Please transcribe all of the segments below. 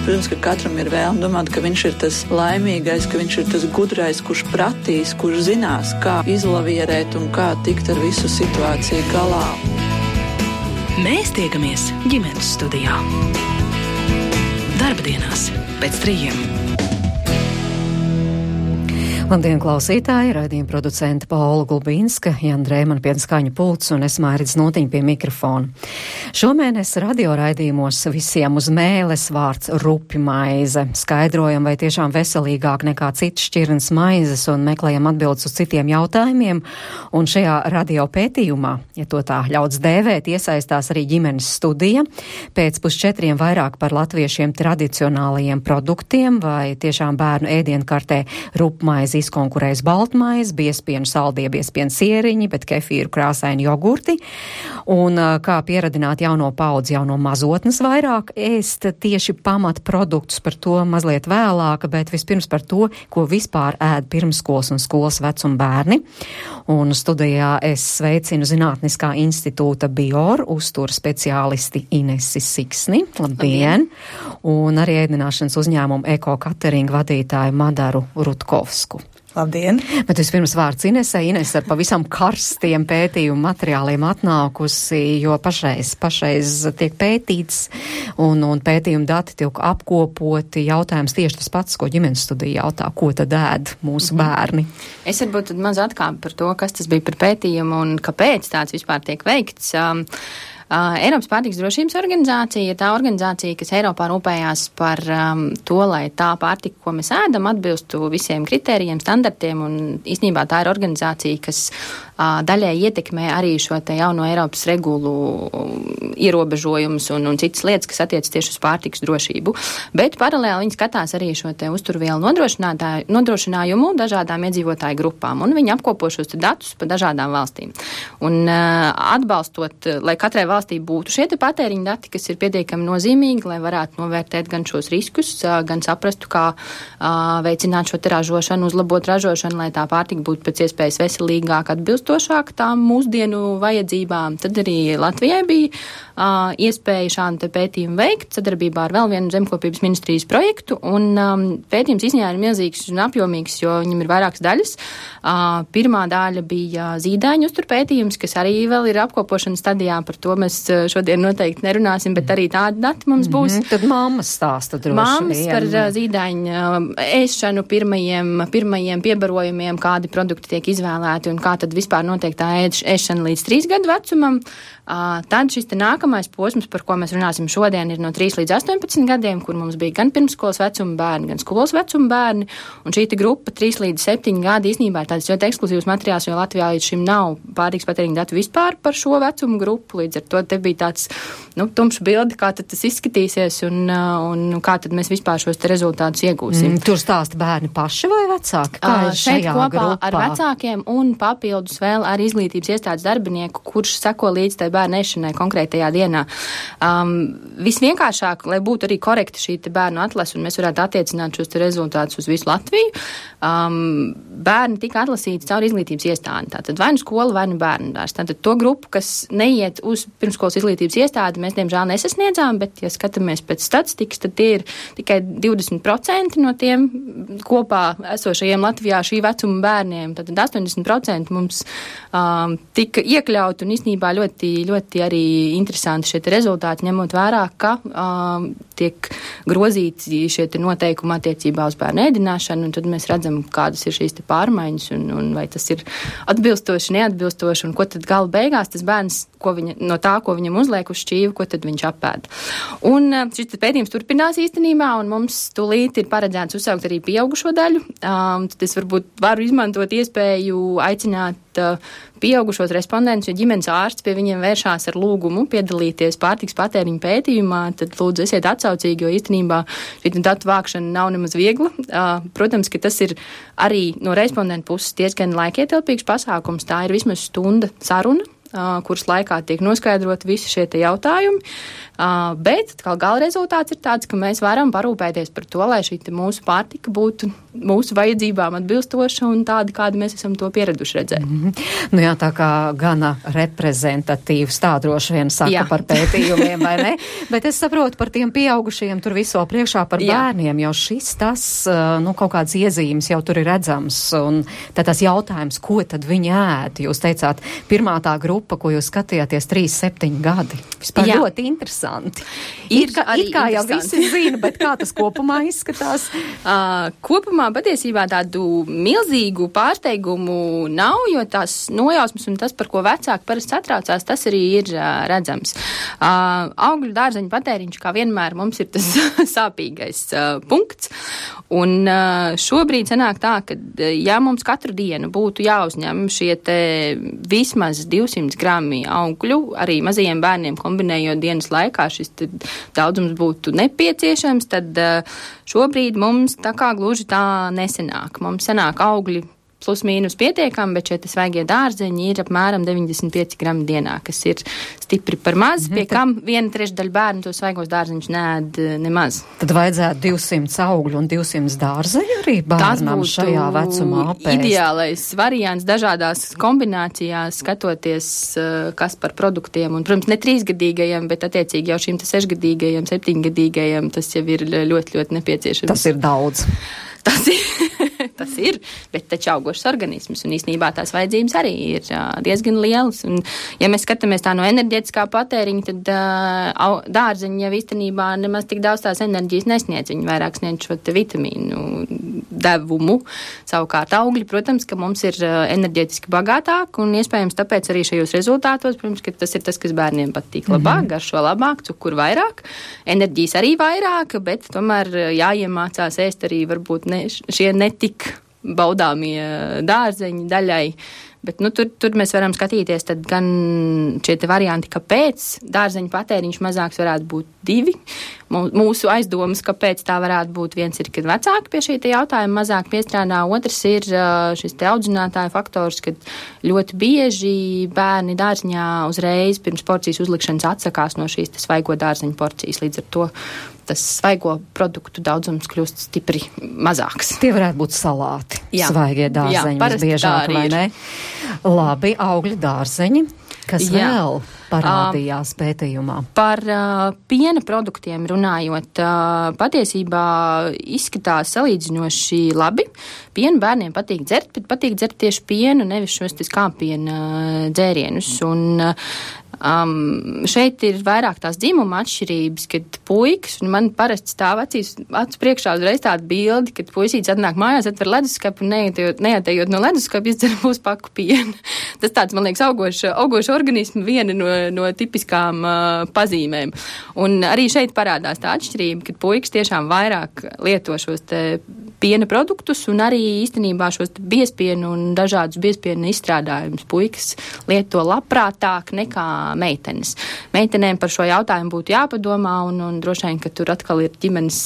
Protams, ka katram ir vēlme domāt, ka viņš ir tas laimīgais, ka viņš ir tas gudrais, kurš pratīs, kurš zinās, kā izlavierēt un kā tikt ar visu situāciju galā. Mēs tiekamies ģimenes studijā. Darbdienās pēc 3. Labdien, klausītāji! Raidījuma producenta Paula Gulbīnska, Jana Drēmana pie skaņu pults un es Mairis Notiņa pie mikrofona. Šomēnes radioraidījumos visiem uz mēles vārds rupjmaize. Skaidrojam, vai tiešām veselīgāk nekā citas šķirnes maizes un meklējam atbildes uz citiem jautājumiem. Un šajā radio pētījumā, ja to tā ļauts dēvēt, iesaistās arī ģimenes studija. Pēc 3:30 vairāk par latviešiem tradicionālajiem produktiem, vai tiešām bērnu ēdienkartē rupjmaize izkonkurējas baltmaizi, biespienu saldie biespienu sieriņi, bet kefīru krāsaini jogurti. Un kā pieradināt jauno paudzi, jauno mazotnes vairāk ēst tieši pamatproduktus, par to mazliet vēlāk, bet vispirms par to, ko vispār ēd pirmskolas un skolas vecuma bērni. Un studijā es sveicinu Zinātniskā institūta Bior uzturu speciālisti Inesi Siksni. Labdien! Un arī ēdināšanas uzņēmumu Eko Catering vadītāju Madaru Rutkovsku. Labdien! Bet vispirms vārds Inesei. Ines ar pavisam karstiem pētījumu materiāliem atnākusi, jo pašreiz tiek pētīts un pētījumu dati tiek apkopoti. Jautājums tieši tas pats, ko ģimenes studija jautā, ko tad ēd mūsu bērni. Es varbūt tad maz atkāpu par to, kas tas bija par pētījumu un kāpēc tāds vispār tiek veikts. Eiropas pārtikas drošības organizācija ir tā organizācija, kas Eiropā rūpējās par to, lai tā pārtika, ko mēs ēdam, atbilstu visiem kritērijiem, standartiem, un īstenībā tā ir organizācija, kas daļai ietekmē arī šo te jauno Eiropas regulu ierobežojumus un citas lietas, kas attiecas tieši uz pārtikas drošību. Bet paralēli viņi skatās arī šo te uzturvielu nodrošinājumu dažādām iedzīvotāju grupām, un viņi apkopo šos te datus pa dažādām valstīm. Un atbalstot, lai katrai valstī būtu šie te patēriņa dati, kas ir pietiekami nozīmīgi, lai varētu novērtēt gan šos riskus, gan saprastu, kā veicināt šo te ražošanu, uzlabot ražošanu, lai tā pārtika būtu pēc iespējas veselīgāk, atbilstošāk tām mūsdienu vajadzībām. Tad arī Latvijai bija iespēja šādu te pētījumu veikt sadarbībā ar vēl vienu zemkopības ministrijas projektu, un pētījums īstenībā ir milzīgs un apjomīgs, jo viņam ir vairākas daļas. Pirmā daļa bija zīdaiņu uzturpētījums, kas arī vēl ir apkopošanas stadijā, par to mēs šodien noteikti nerunāsim, bet arī tādi dati mums būs. Tad mammas stāsta droši vien. Mammas par zīdaiņu ēšanu, pirmajiem piebarojumiem, kādi produkti tiek izvēlēti un kā tad vispār notiek tā ēšana līdz 3 gadu vecumam. Tad šis te nākamais posms, par ko mēs runāsim šodien, ir no 3 līdz 18 gadiem, kur mums bija gan pirmskolas vecuma bērni, gan skolas vecuma bērni. Un šī te grupa 3 līdz 7 gadi īstenībā ir tāds ļoti ekskluzīvs materiāls, jo Latvijā līdz šim nav pārtikas patēriņa datu vispār par šo vecumu grupu. Līdz ar to te bija tāds tumšs bildi, kā tad tas izskatīsies un kā tad mēs vispār šos te rezultātus iegūsim. Tur stāsta bērni paši vai vecāki? Šeit kopā grupā ar vecākiem un papildus vēl ar izglītības iestādes darbinieku, kurš seko līdz tai bērnu ēšanai konkrētajā dienā. Visvienkāršāk, lai būtu arī korekti šī te bērnu atlase un mēs varētu attiecināt šos te rezultātus uz visu Latviju, bērni tika atlasīti caur izglītības iestādi. Tātad vai nu skola, vai nu bērnu dārs. Tātad to grupu, kas neiet uz pirmskolas izglītības iestādi, mēs diemžēl nesasniedzām, bet, ja skatāmies pēc statistikas, tad tie ir tikai 20% no tiem kopā esošajiem Latvijā šī vecuma bērniem. Tātad 80% mums tika iekļaut un īstenībā ļoti arī interesanti šie rezultāti, ņemot vērā, ka tiek grozīti šie noteikumi attiecībā uz bērnu ēdināšanu, un tad mēs redzam, kādas ir šīs pārmaiņas, un vai tas ir atbilstoši, neatbilstoši, un ko tad gala beigās tas bērns, no tā, ko viņam uzliek uz šķīvu, ko tad viņš apēd. Un šis pētījums turpinās īstenībā, un mums tūlīt ir paredzēts uzsaukt arī pieaugušo daļu. Tad es varbūt varu izmantot iespēju aicināt pieaugušos respondentus, ja ģimenes ārsts pie viņiem vēršās ar lūgumu piedalīties pārtikas patēriņa pētījumā, tad lūdzu esiet atsaucīgi, jo īstenībā šī datu vākšana nav nemaz viegla. Protams, ka tas ir arī no respondentu puses diezgan laikietilpīgs pasākums. Tā ir vismaz stunda saruna, kuras laikā tiek noskaidrot visi šie te jautājumi, bet gala rezultāts ir tāds, ka mēs varam parūpēties par to, lai šī mūsu pārtika būtu mūsu vajadzībām atbilstoša un tāda, kāda mēs esam to pieraduši redzēt. Nu jā, tā kā gana reprezentatīvs tā droši vien saka par pētījumiem, vai ne? Bet es saprotu par tiem pieaugušajiem tur viso priekšā par bērniem, jo šis tas, kaut kāds iezīmes jau tur ir redzams. Un tad tas jautājums, ko tad viņi ēd? Jūs teicāt, pirmā tā grupa, ko jūs skatījāties 3-7 gadi. Vispār ļoti interesanti. It kā jau visi zina, bet kā tas kopumā izskatās? Kopumā patiesībā tādu milzīgu pārsteigumu nav, jo tās nojausmas un tas, par ko vecāki parasti satraucās, tas arī ir redzams. Augļu dārzeņu patēriņš, kā vienmēr, mums ir tas sāpīgais punkts. Un šobrīd sanāk tā, ka ja mums katru dienu būtu jāuzņem šie te vismaz 200 grami augļu, arī mazajiem bērniem kombinējot dienas laikā, šis daudzums būtu nepieciešams, tad šobrīd mums tā kā gluži tā nesenāk. Mums sanāk augļi plus mīnus pietiekami, bet šie svaigie dārzeņi ir apmēram 95 grami dienā, kas ir stipri par maz, pie kam 1/3 bērnu to svaigos dārzeņus neēd nemaz. Tad vajadzētu 200 augļu un 200 dārzeņu arī bērnam šajā vecumā apēst. Ideālais variants dažādās kombinācijās, skatoties, kas par produktiem, un, protams, ne 3-gadīgajiem, bet attiecīgi jau šīm 6-gadīgajiem, 7-gadīgajiem, tas jau ir ļoti, ļoti nepieciešams. Tas ir daudz. Tas ir, bet taču augošs organisms, un īstenībā tās vajadzības arī ir diezgan lielas. Un, ja mēs skatāmies tā no enerģētiskā patēriņa, tad dārzeņi jau īstenībā nemaz tik daudz tās enerģijas nesniedz. Viņi vairāk sniedz šo te vitamīnu devumu. Savukārt augļi, protams, ka mums ir enerģētiski bagātāk, un iespējams tāpēc arī šajos rezultātos, protams, ka tas ir tas, kas bērniem patīk labāk, garšo labāk, cukuru vairāk, enerģijas arī vairāk, bet tomēr jāiemācās ēst arī varbūt šie netik baudāmie dārzeņi daļai. Bet, tur mēs varam skatīties tad gan šie te varianti, kāpēc dārzeņu patēriņš mazāks varētu būt 2. Mūsu aizdomas, kāpēc tā varētu būt, viens ir, kad vecāki pie šī te jautājuma mazāk piestrādā, otrs ir šis te audzinātāja faktors, kad ļoti bieži bērni dārziņā uzreiz pirms porcijas uzlikšanas atsakās no šīs te svaigo dārzeņu porcijas, līdz ar to tas svaigo produktu daudzums kļūst stipri mazāks. Tie varētu būt salāti, svaigie dārzeņi visbiežāk, vai ne? Labi, augļu dārzeņi, kas vēl parādījās pētījumā? Par piena produktiem runājot, patiesībā izskatās salīdzinoši labi. Pienu bērniem patīk dzert, bet patīk dzert tieši pienu, nevis šos skāpiena dzērienus. Un šeit ir vairāk tās dzimuma atšķirības, kad puikas, un man parasti stāv acu priekšā uzreiz tāda bildi, kad puisīts atnāk mājās, atver leduskapu un neatējot no leduskapu, izdzer puspaku pienu. Tas tāds, man liekas, augoša organismu viena no tipiskām pazīmēm. Un arī šeit parādās tā atšķirība, kad puikas tiešām vairāk lieto šos te piena produktus un arī īstenībā šos biespienu un dažādus biespienu izstrādājumus puikas lieto labprātāk nekā meitenes. Meitenēm par šo jautājumu būtu jāpadomā un droši vien, ka tur atkal ir ģimenes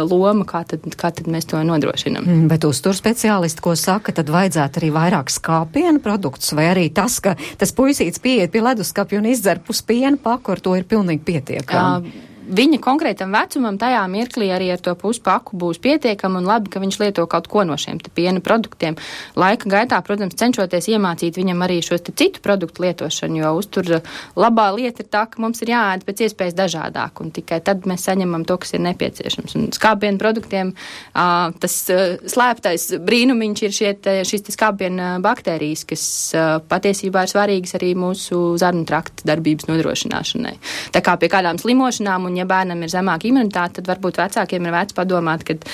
loma, kā tad mēs to nodrošinam. Bet uztur speciālisti, ko saka, tad vajadzētu arī vairāk skāpienu produktus, vai arī tas, ka tas puisīts pieiet pie leduskapja un izdzer puspienu paku, ar to ir pilnīgi pietiekami. Viņa konkrētam vecumam tajā mirklī arī ar to puspaku būs pietiekama un labi, ka viņš lieto kaut ko no šiem te piena produktiem. Laika gaitā, protams, cenšoties iemācīt viņam arī šos te citu produktu lietošanu, jo uztur labā lieta ir tā, ka mums ir jāēd pēc iespējas dažādāk un tikai tad mēs saņemam to, kas ir nepieciešams. Un skāpienu produktiem tas slēptais brīnumiņš ir šīs te skāpienu baktērijas, kas patiesībā ir svarīgas arī mūsu zarnu trakta darbības nodrošināšanai. Tā kā pie kādām slimošanām un ja bērnam ir zemāka imunitāte, tad varbūt vecākiem ir vērts padomāt, kad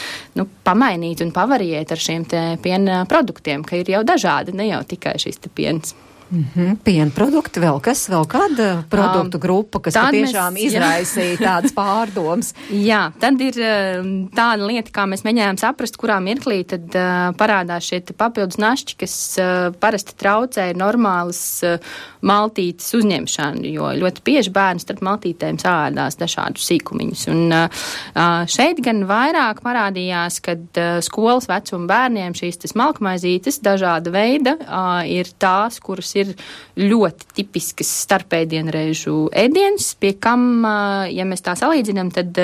pamainīt un pavariēt ar šiem te piena produktiem, ka ir jau dažādi, ne jau tikai šīs te piens. Piena produkti, vēl kāda produktu grupa, kas patiešām izraisīja tādas pārdomas? Jā, tad ir tāda lieta, kā mēs mēģinājām saprast, kurā mirklī tad parādās šie papildus našķi, kas parasti traucē normālas maltītes uzņemšanu, jo ļoti bieži bērni starp maltītēm sāēdās dažādus sīkumiņus. Un šeit gan vairāk parādījās, kad skolas vecuma bērniem šīs smalkmaizītes dažāda veida ir tās, kuras ir ļoti tipiskas starpēdienreižu ēdienas, pie kam, ja mēs tā salīdzinām, tad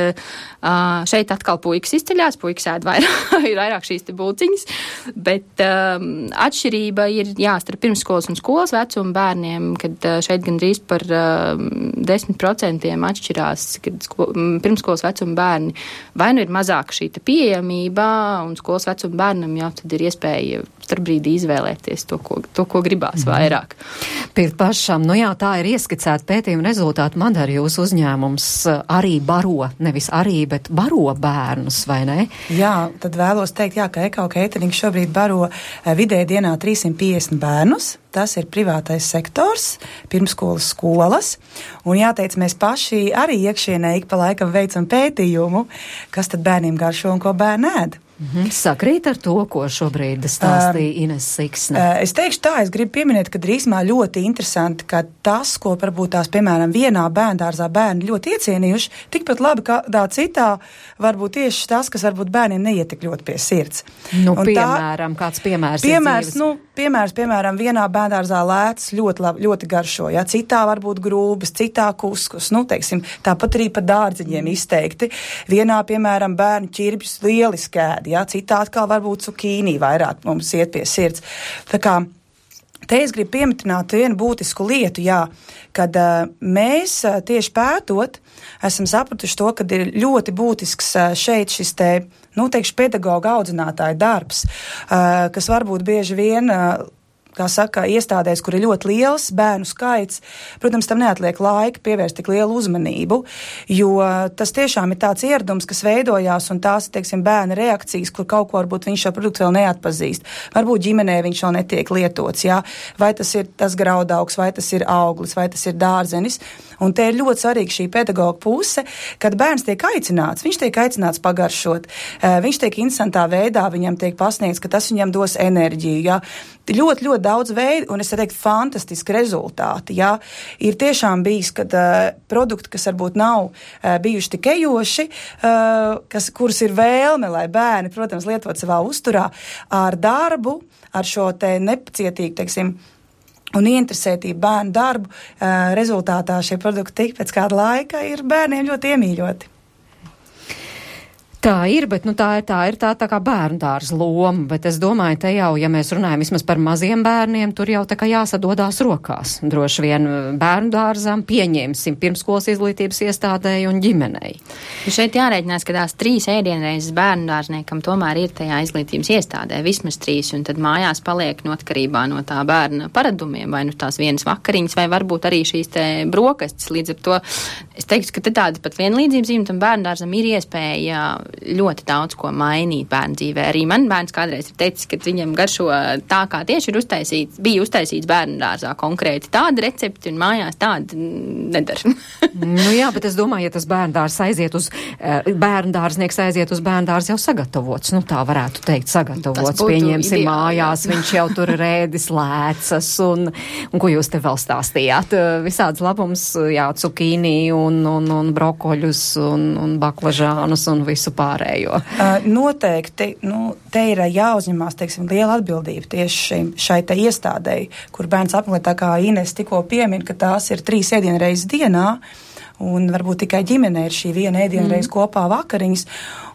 šeit atkal puikas izceļās, puikas ēd vairāk šīs te bulciņas, bet atšķirība ir, starp pirmsskolas un skolas vecumu bērniem, kad šeit gandrīz par 10% atšķirās, kad pirmskolas vecuma bērni vai nu ir mazāka šī pieejamība, un skolas vecuma bērnam jau tad ir iespēja starpbrīdī izvēlēties to, ko gribās vairāk. Pirkt pašam, tā ir ieskicēta pētījuma rezultāti. Madara, jūsu uzņēmums arī baro, nevis arī, bet baro bērnus, vai ne? Jā, tad vēlos teikt, ka Ekau Catering šobrīd baro vidēji dienā 350 bērnus. Tas ir privātais sektors, pirmskolas skolas. Un jāteic, mēs paši arī iekšienē ik pa laikam veicam pētījumu, kas tad bērniem garšo un ko bērni ēd. Sakrīt ar to, ko šobrīd stāstīja Ines Siksne. Es teikšu tā, es gribu pieminēt, ka drīzumā ļoti interesanti, ka tas, ko varbūt tās, piemēram, vienā bērndārzā bērni ļoti iecienījuši, tikpat labi kādā citā, varbūt tieši tas, kas varbūt bērniem neiet tik ļoti pie sirds. Piemēram, kāds piemērs? Piemēram, vienā bērndārzā lētas ļoti garšo, citā varbūt grūbas, citā kuskus, teiksim, tāpat arī par dārdziņiem izteikti. Vienā, piemēram, bērnu ķirbjus lieliski ēd, citā atkal varbūt cukīnī vairāk mums iet pie sirds. Tā kā te es gribu pieminēt vienu būtisku lietu, kad mēs tieši pētot esam sapratuši to, kad ir ļoti būtisks šeit šis teikšu, pedagoga audzinātāja darbs, kas varbūt bieži vien kā saka, iestādēs, kur ir ļoti liels bērnu skaits, protams, tam neatliek laika pievērst tik lielu uzmanību, jo tas tiešām ir tāds ieradums, kas veidojās, un tās, teiksim, bērna reakcijas, kur kaut ko varbūt viņš šo produktu vēl neatpazīst. Varbūt ģimenē viņš vēl netiek lietots, vai tas ir tas graudaugs, vai tas ir auglis, vai tas ir dārzenis. Un te ir ļoti svarīga šī pedagoga puse, kad bērns tiek aicināts, viņš tiek aicināts pagaršot, viņš tiek interesantā veidā, viņam tiek pasniegts, ka tas viņam dos enerģiju, Ļoti, ļoti daudz veidu, un es teiktu, fantastiski rezultāti, Ir tiešām bijis, kad produkti, kas varbūt nav bijuši tik ejoši, kurus ir vēlme, lai bērni, protams, lietot savā uzturā, ar darbu, ar šo te nepacietīgu, teiksim, un ieinteresētību bērnu darbu, rezultātā šie produkti pēc kāda laika ir bērniem ļoti iemīļoti. Tā ir, bet tā ir tā kā bērndārza loma, bet es domāju, te jau, ja mēs runājam vismaz par maziem bērniem, tur jau tā kā jāsadodās rokās. Droši vien bērndārzām pieņemsim pirmskolas izglītības iestādēji un ģimenei. Šeit jārēķinās, ka tās 3 ēdienreizes bērndārzniekam tomēr ir tajā izglītības iestādē, vismaz 3, un tad mājās paliek atkarībā no tā bērna paradumiem, vai tās vienas vakariņas, vai varbūt arī šīs te brokastis. Līdz ar to es teiktu, ka te tāda pat vienlīdzības zīme tam bērndārzam ir iespēja ļoti daudz ko mainīt bērnu dzīvē. Arī man bērns kādreiz ir teicis, ka viņam garšo tā, kā tieši bija uztaisīts bērnu dārzā konkrēti tāda recepti un mājās tāda nedara. Bet es domāju, ja tas bērndārznieks aiziet uz bērndārzu jau sagatavots, tā varētu teikt sagatavots, pieņemsim ideāli, mājās, viņš jau tur rēdis lēcas un ko jūs te vēl stāstījāt? Visāds labums, cukīnī un brokoļus un baklažānus un visu pārējo. Noteikti, te ir jāuzņemās, teiksim, liela atbildība tieši šai te iestādēji, kur bērns apmeklē, tā kā Ines tikko piemin, ka tās ir 3 ēdienreizes dienā, un varbūt tikai ģimenē ir šī viena ēdienreiz kopā vakariņas.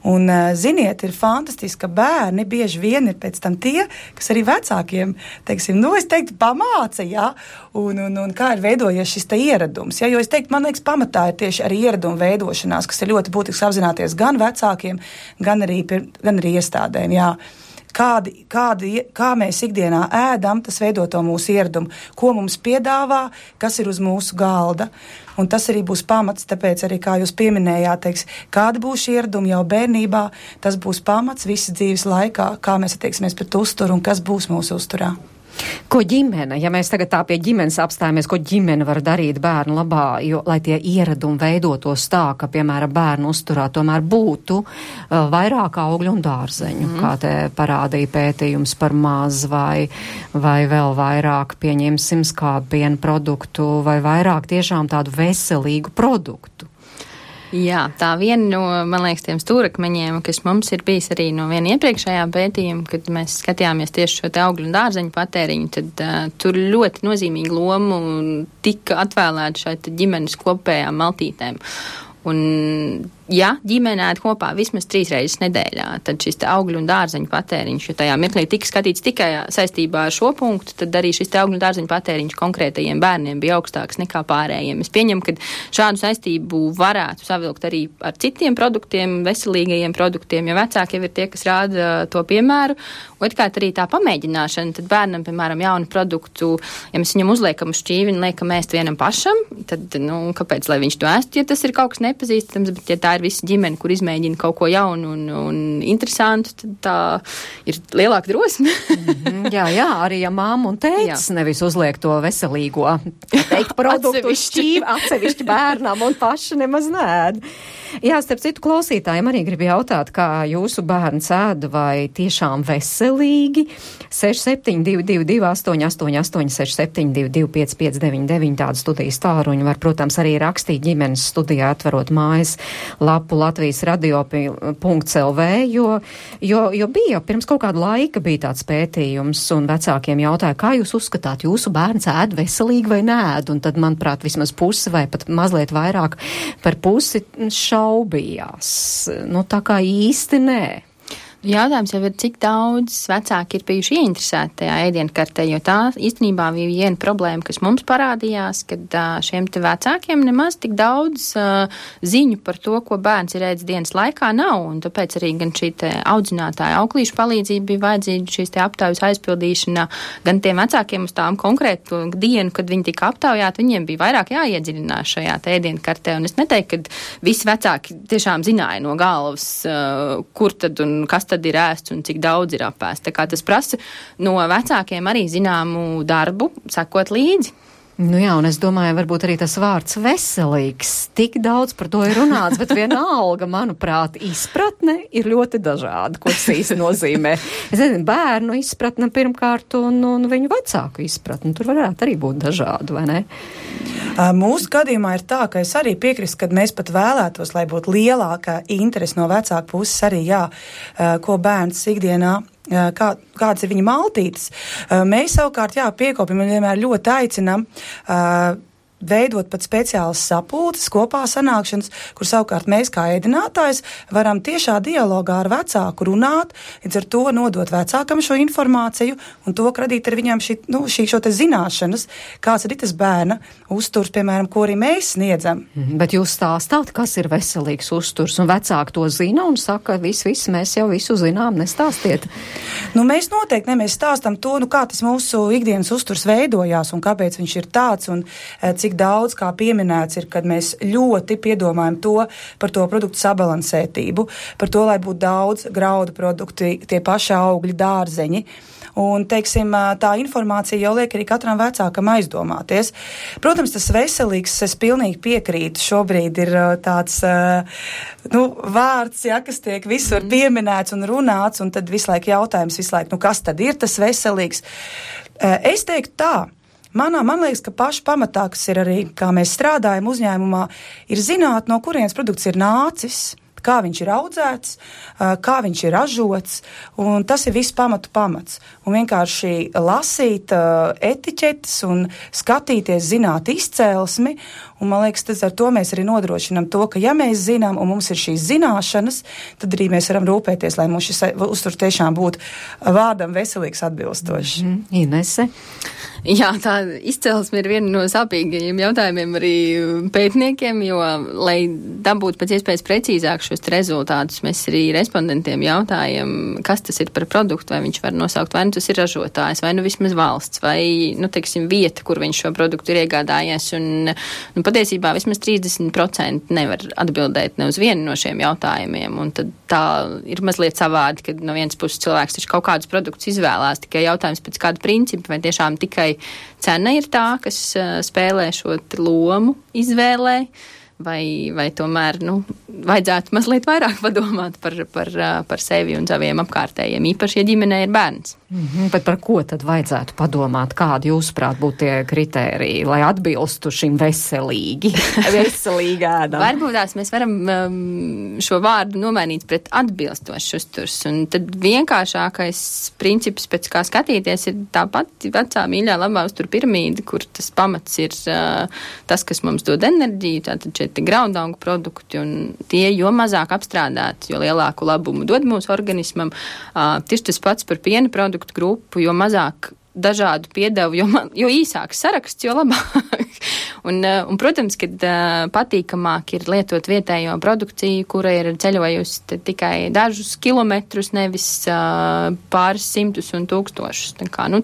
Un, ziniet, ir fantastiski, ka bērni bieži vien ir pēc tam tie, kas arī vecākiem, teiksim, es teiktu, pamāca, un kā ir veidojies šis te ieradums, jo es teiktu, man liekas, pamatā ir tieši arī ieraduma veidošanās, kas ir ļoti būtisks apzināties gan vecākiem, gan arī iestādēm, Kā mēs ikdienā ēdam, tas veido to mūsu ieradumu, ko mums piedāvā, kas ir uz mūsu galda. Un tas arī būs pamats, tāpēc arī, kā jūs pieminējāt, kāda būs šī ieraduma jau bērnībā, tas būs pamats visas dzīves laikā, kā mēs attieksimies pret uzturu un kas būs mūsu uzturā. Ko ģimene, ja mēs tagad tā pie ģimenes apstājamies, ko ģimene var darīt bērnu labā, lai tie ieradumi veidotos tā, ka, piemēram, bērnu uzturā tomēr būtu vairāk augļu un dārzeņu, kā te parādīja pētījums par maz, vai vēl vairāk, pieņemsim, skāpienu produktu, vai vairāk tiešām tādu veselīgu produktu. Jā, tā viena no, man liekas, tiem stūrakmeņiem, kas mums ir bijis arī no viena iepriekšējā pētījuma, kad mēs skatījāmies tieši šo te augļu un dārzeņu patēriņu, tad tur ļoti nozīmīgu lomu tika atvēlēta šai ģimenes kopējām maltītēm. Un, ja ģimene ēd kopā vismaz 3 reizes nedēļā, tad šis te augļu un dārzeņu patēriņš, jo tajā mirklī tika skatīts tikai saistībā ar šo punktu, tad arī šis te augļu un dārzeņu patēriņš konkrētajiem bērniem bija augstāks nekā pārējiem. Es pieņemu, ka šādu saistību varētu savilkt arī ar citiem produktiem, veselīgajiem produktiem, jo vecāki jau ir tie, kas rāda to piemēru. Otrkārt arī tā pamēģināšana, tad bērnam, piemēram, jaunu produktu, ja mēs viņam uzliekam uz šķīvi un liekam ēst vienam pašam, tad, kāpēc, lai viņš to ēst, ja tas ir kaut kas nepazīstams, bet ja tā ir visa ģimene, kur izmēģina kaut ko jaunu un interesantu, tad tā ir lielāka drosme. Jā, arī ja māma un tētis nevis uzliek to veselīgo, teikt, produktu uz šķīvi atsevišķi bērnam un paši nemaz nēd. Jā, starp citu klausītājiem arī gribu jautāt, kā jūsu bērns ēd, vai tiešām veselīgi. 6722 888 672 559 tādu studijas tāruņu var, protams, arī rakstīt ģimenes studijā, atverot mājas lapu Latvijas radio.lv, jo bija pirms kaut kāda laika bija tāds pētījums, un vecākiem jautāja, kā jūs uzskatāt, jūsu bērns ēd veselīgi vai nēd, un tad, manuprāt, vismaz pusi vai pat mazliet vairāk par pusi šaubījās. Tā kā īsti nē. Jautājums jau ir, cik daudz vecāki ir bijuši ieinteresēti tajā ēdienkartē, jo tā īstenībā bija viena problēma, kas mums parādījās, kad šiem te vecākiem nemaz tik daudz ziņu par to, ko bērns ir ēdis dienas laikā, nav, un tāpēc arī gan šī te audzinātāja auklīšu palīdzība bija vajadzīga, šīs te aptaujas aizpildīšana, gan tiem vecākiem uz tām konkrētu dienu, kad viņi tika aptaujāti, viņiem bija vairāk jāiedziļinās šajā te ēdienkartē, un es neteiktu, ka visi vecāki tiešām zināja no galvas, kur tad un kas tad ir ēsts un cik daudz ir apēsts. Tā kā tas prasa no vecākiem arī zināmu darbu, sekot līdzi. Jā, un es domāju, varbūt arī tas vārds veselīgs. Tik daudz par to ir runāts, bet vienalga, manuprāt, izpratne ir ļoti dažāda, ko tas īsti nozīmē. Es nezinu, bērnu izpratne pirmkārt un viņu vecāku izpratne. Tur varētu arī būt dažādi, vai ne? Mūsu gadījumā ir tā, ka es arī piekrīstu, kad mēs pat vēlētos, lai būtu lielāka interese no vecāku puses arī, ko bērns ikdienā kāds ir viņa maltītes. Mēs savukārt, piekopjam un vienmēr ļoti aicinam veidot pat speciālas sapulces, kopā sanākšanas, kur savukārt mēs kā ēdinātājs varam tiešā dialogā ar vecāku runāt, līdz ar to nodot vecākam šo informāciju un to radīt ar viņām šo te zināšanas, kāds ir tas bērna uzturs, piemēram, ko arī mēs sniedzam. Bet jūs stāstāt, kas ir veselīgs uzturs, un vecāki to zina un saka, viss, mēs jau visu zinām, nestāstiet. Mēs noteikti mēs stāstam to, kā tas mūsu ikdienas uzturs veidojās un kāpēc viņš ir tāds un cik daudz, kā pieminēts, ir, kad mēs ļoti piedomājam par to produktu sabalansētību, par to, lai būtu daudz graudu produkti, tie paši augļi, dārzeņi. Un, teiksim, tā informācija jau liek arī katram vecākam aizdomāties. Protams, tas veselīgs, es pilnīgi piekrītu, šobrīd ir tāds vārds, kas tiek visur pieminēts un runāts, un tad visu laiku jautājums, kas tad ir tas veselīgs? Es teiktu tā. Man liekas, ka paši pamatā, kas ir arī, kā mēs strādājam uzņēmumā, ir zināt, no kurienes produkts ir nācis, kā viņš ir audzēts, kā viņš ir ražots, un tas ir viss pamats. Un vienkārši lasīt etiķetes un skatīties, zināt izcēlesmi, un man liekas, tas ar to mēs arī nodrošinām to, ka ja mēs zinām un mums ir šīs zināšanas, tad arī mēs varam rūpēties, lai mums šis uzturs tiešām būtu vārdam veselīgs atbilstošs. Inese? Jā, tā izcelsme ir viena no sāpīgajiem jautājumiem arī pētniekiem, jo, lai dabūtu pēc iespējas precīzāk šos rezultātus, mēs arī respondentiem jautājam, kas tas ir par produktu, vai viņš var nosaukt, vai tas ir ražotājs, vai vismaz valsts, vai, teiksim, vieta, kur viņš šo produktu ir iegādājies, un patiesībā vismaz 30% nevar atbildēt ne uz vienu no šiem jautājumiem, un tad tā ir mazliet savādi, kad no vienas puses cilvēks taču kaut kādus produktus izvēlās, tikai jautājums pēc kāda principa, vai tiešām tikai cena ir tā, kas spēlē šo lomu izvēlē, vai tomēr, vajadzētu mazliet vairāk padomāt par sevi un saviem apkārtējiem, īpaši, ja ģimenē ir bērns. Bet par ko tad vajadzētu padomāt? Kādi jūsuprāt būtu tie kritēriji, lai atbilstu šim veselīgi ēdam? Varbūt tās mēs varam šo vārdu nomainīt pret atbilstošs uzturs, un tad vienkāršākais princips, pēc kā skatīties, ir tāpat vecā mīļā labā uztura piramīda, kur tas pamats ir tas, kas mums dod enerģiju, tātad šeit graudaugu produkti, un tie, jo mazāk apstrādāti, jo lielāku labumu dod mūsu organismam. Tieši tas pats par piena produktu grupu, jo mazāk dažādu piedevu, jo īsāks saraksts, jo labāk. Un, protams, kad patīkamāk ir lietot vietējo produkciju, kura ir ceļojusi tikai dažus kilometrus, nevis pāris simtus un tūkstošus.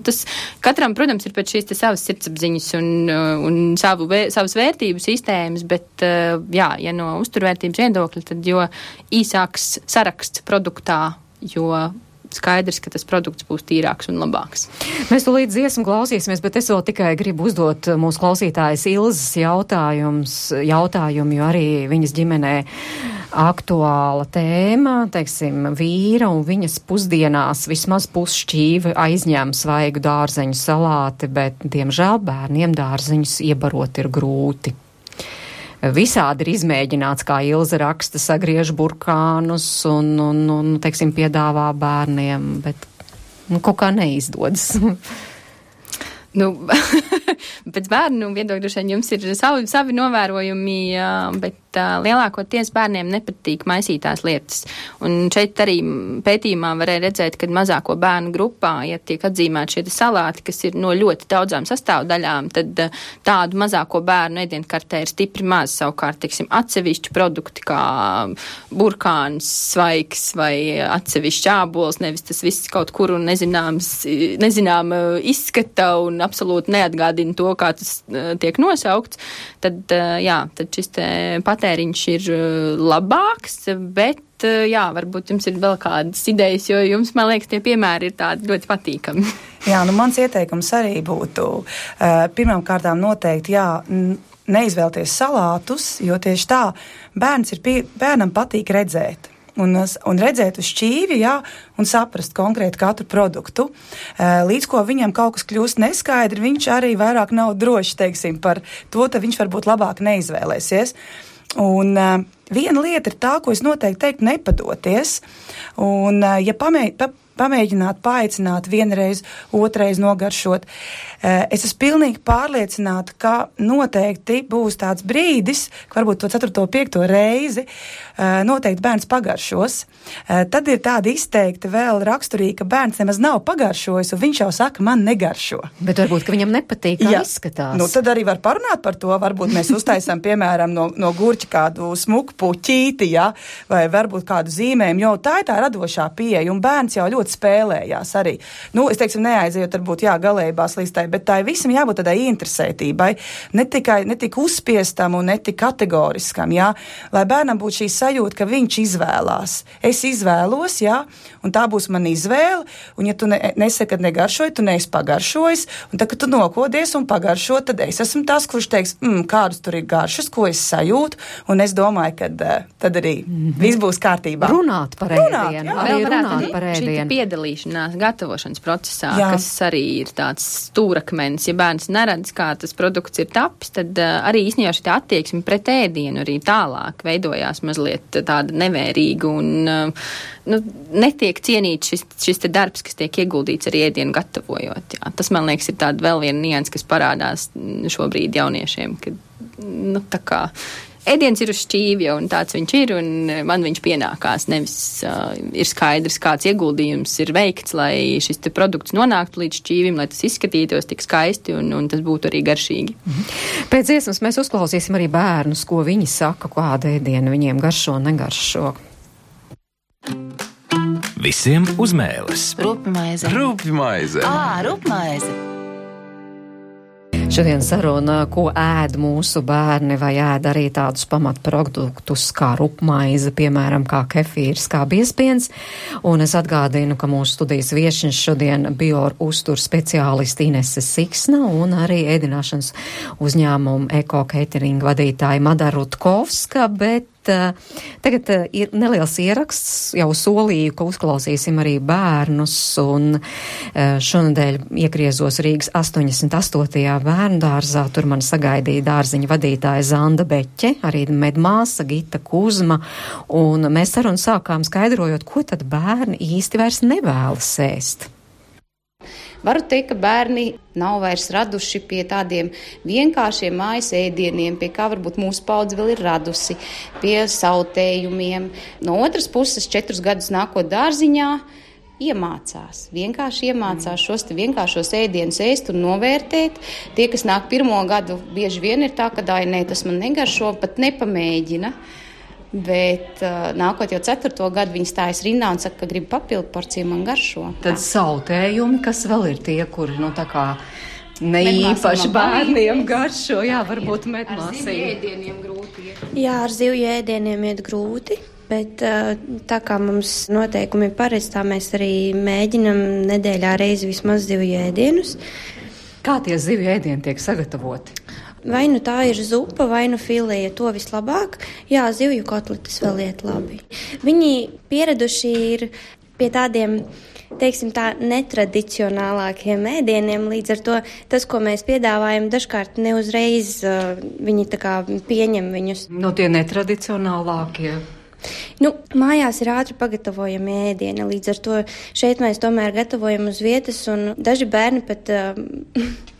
Tas katram, protams, ir pēc šīs savas sirdsapziņas un savas vērtību sistēmas, bet, ja no uzturvērtības viedokļa, tad jo īsāks saraksts produktā, jo skaidrs, ka tas produkts būs tīrāks un labāks. Mēs tu līdz dziesmu klausīsimies, bet es vēl tikai gribu uzdot mūsu klausītājas Ilzas jautājumu, jo arī viņas ģimenē aktuāla tēma, teiksim, vīra un viņas pusdienās vismaz pusšķīvi aizņem svaigu dārzeņu salāti, bet, diemžēl, bērniem dārzeņus iebarot ir grūti. Visādi ir izmēģināts, kā Ilze raksta, sagriež burkānus un teiksim, piedāvā bērniem, bet kaut kā neizdodas. Pēc bērnu viedokļa jums ir savi novērojumi, bet lielākoties bērniem nepatīk maisītās lietas. Un šeit arī pētījumā varēja redzēt, ka mazāko bērnu grupā, ja tiek atzīmēti šie salāti, kas ir no ļoti daudzām sastāvdaļām, tad tādu mazāko bērnu ēdienkartē ir stipri maz. Savukārt, teiksim, atsevišķi produkti kā burkāns, svaigs vai atsevišķi ābols, nevis tas viss kaut kur un nezinām izskata un absolūti neatgādina to, kā tas tiek nosaukts, tad šis patēriņš ir labāks, bet varbūt jums ir vēl kādas idejas, jo jums, man liekas, tie piemēri ir tādi ļoti patīkami. Mans ieteikums arī būtu pirmām kārtām noteikti, neizvēlties salātus, jo tieši tā bērnam patīk redzēt. Un redzēt uz šķīvi, un saprast konkrēti katru produktu. Līdz ko viņam kaut kas kļūst neskaidri, viņš arī vairāk nav drošs, teiksim, par to, tad viņš varbūt labāk neizvēlēsies. Un viena lieta ir tā, ko es noteikti teiktu, nepadoties. Un, ja pamēģināt, paaicināt vienreiz, otrais nogaršot, es esmu pilnīgi pārliecināta, ka noteikti būs tāds brīdis, ka varbūt to 4. 5. reizi noteikti bērns pagaršos. Tad ir tāda izteikta vēl raksturīga, ka bērns nemaz nav pagaršojis, un viņš jau saka, man negaršo. Bet varbūt, ka viņam nepatīk, kā izskatās. Tad arī var parunāt par to, varbūt mēs uztaisām, piemēram, no gurķa kādu smuku puķīti, vai varbūt kādu zīmējumu, jo tā ir tā radošā pieeja, un bērns jau ļoti spēlējās arī. Es teiksim, neaizejot varbūt, galējībās līdz tai, bet tā visam jābūt tādai interesētībai, ne tik uzspiestam un ne tik kategoriskam, lai bērnam būtu šī sajūta, ka viņš izvēlās. Es izvēlos, un tā būs mana izvēle, un ja tu nesaki, kad negaršoji, tu neesi pagaršojis, un tad, kad tu nokodies un pagaršo, tad es esmu tas, kurš teiks, kādus tur ir garšas, ko es sajūtu, un es domāju, ka tad arī viss būs kārtībā. Runāt par ēdienu. Šī piedalīšanās gatavošanas procesā, kas arī ir tāds stūrakmenis, ja bērns neredz, kā tas produkts ir tapis, tad arī īstenībā šī attieksme pret ēdienu arī tālāk veidojās mazliet tāda nevērīga un netiek cienīts šis te darbs, kas tiek ieguldīts arī ēdienu gatavojot. Tas, man liekas, ir tāda vēl viena nianse, kas parādās šobrīd jauniešiem, ka tā kā ēdiens ir uz šķīvja, un tāds viņš ir, un man viņš pienākās. Nevis ir skaidrs, kāds ieguldījums ir veikts, lai šis te produkts nonāktu līdz šķīvim, lai tas izskatītos tik skaisti, un tas būtu arī garšīgi. Pēc dziesmas mēs uzklausīsim arī bērnus, ko viņi saka, kāda ēdiena viņiem garšo un negaršo. Visiem uz mēles. Rupmaize. Rupmaize. Rupmaize. Šodien saruna, ko ēd mūsu bērni, vai ēd arī tādus pamatproduktus kā rupmaize, piemēram, kā kefīrs, kā biezpiens. Un es atgādinu, ka mūsu studijas viešņas šodien bio-uzturs speciālisti Inese Siksna un arī ēdināšanas uzņēmumu Eko Catering vadītāja Madara Rutkovska, bet tagad ir neliels ieraksts, jau solīju, ka uzklausīsim arī bērnus, un šonadēļ iegriezos Rīgas 88. bērnu dārzā. Tur man sagaidīja dārziņa vadītāja Zanda Beķe, arī medmāsa Gita Kuzma, un mēs sarunu sākām skaidrojot, ko tad bērni īsti vairs nevēlas ēst. Varu teikt, ka bērni nav vairs raduši pie tādiem vienkāršiem mājas ēdieniem, pie kā varbūt mūsu paudze vēl ir radusi, pie sautējumiem. No otras puses, 4 gadus nākot dārziņā, vienkārši iemācās šos te vienkāršos ēdienus ēst un novērtēt. Tie, kas nāk 1. gadu, bieži vien ir tā, ka nē, tas man negaršo, pat nepamēģina. Bet nākot jau 4. gadu, viņi stājas rindā un saka, ka grib papildu porciju, man garšo. Tad sautējumi, kas vēl ir tie, kuri, tā kā neīpaši bērniem garšo, jā, varbūt medmāsī. Ar zivju ēdieniem grūti iet. Jā, ar zivju ēdieniem iet grūti, bet tā kā mums noteikumi ir paredz, tā mēs arī mēģinam nedēļā reizi vismaz zivju ēdienus. Kā tie zivju ēdieni tiek sagatavoti? Vai nu tā ir zupa, vai nu filēja, to vislabāk. Jā, zivju kotletes vēl iet labi. Viņi pieraduši ir pie tādiem, teiksim tā, netradicionālākiem ēdieniem, līdz ar to tas, ko mēs piedāvājam, dažkārt neuzreiz viņi tā kā pieņem viņus. Tie netradicionālākie. Mājās ir ātri pagatavojami ēdieni, līdz ar to šeit mēs tomēr gatavojam uz vietas, un daži bērni pat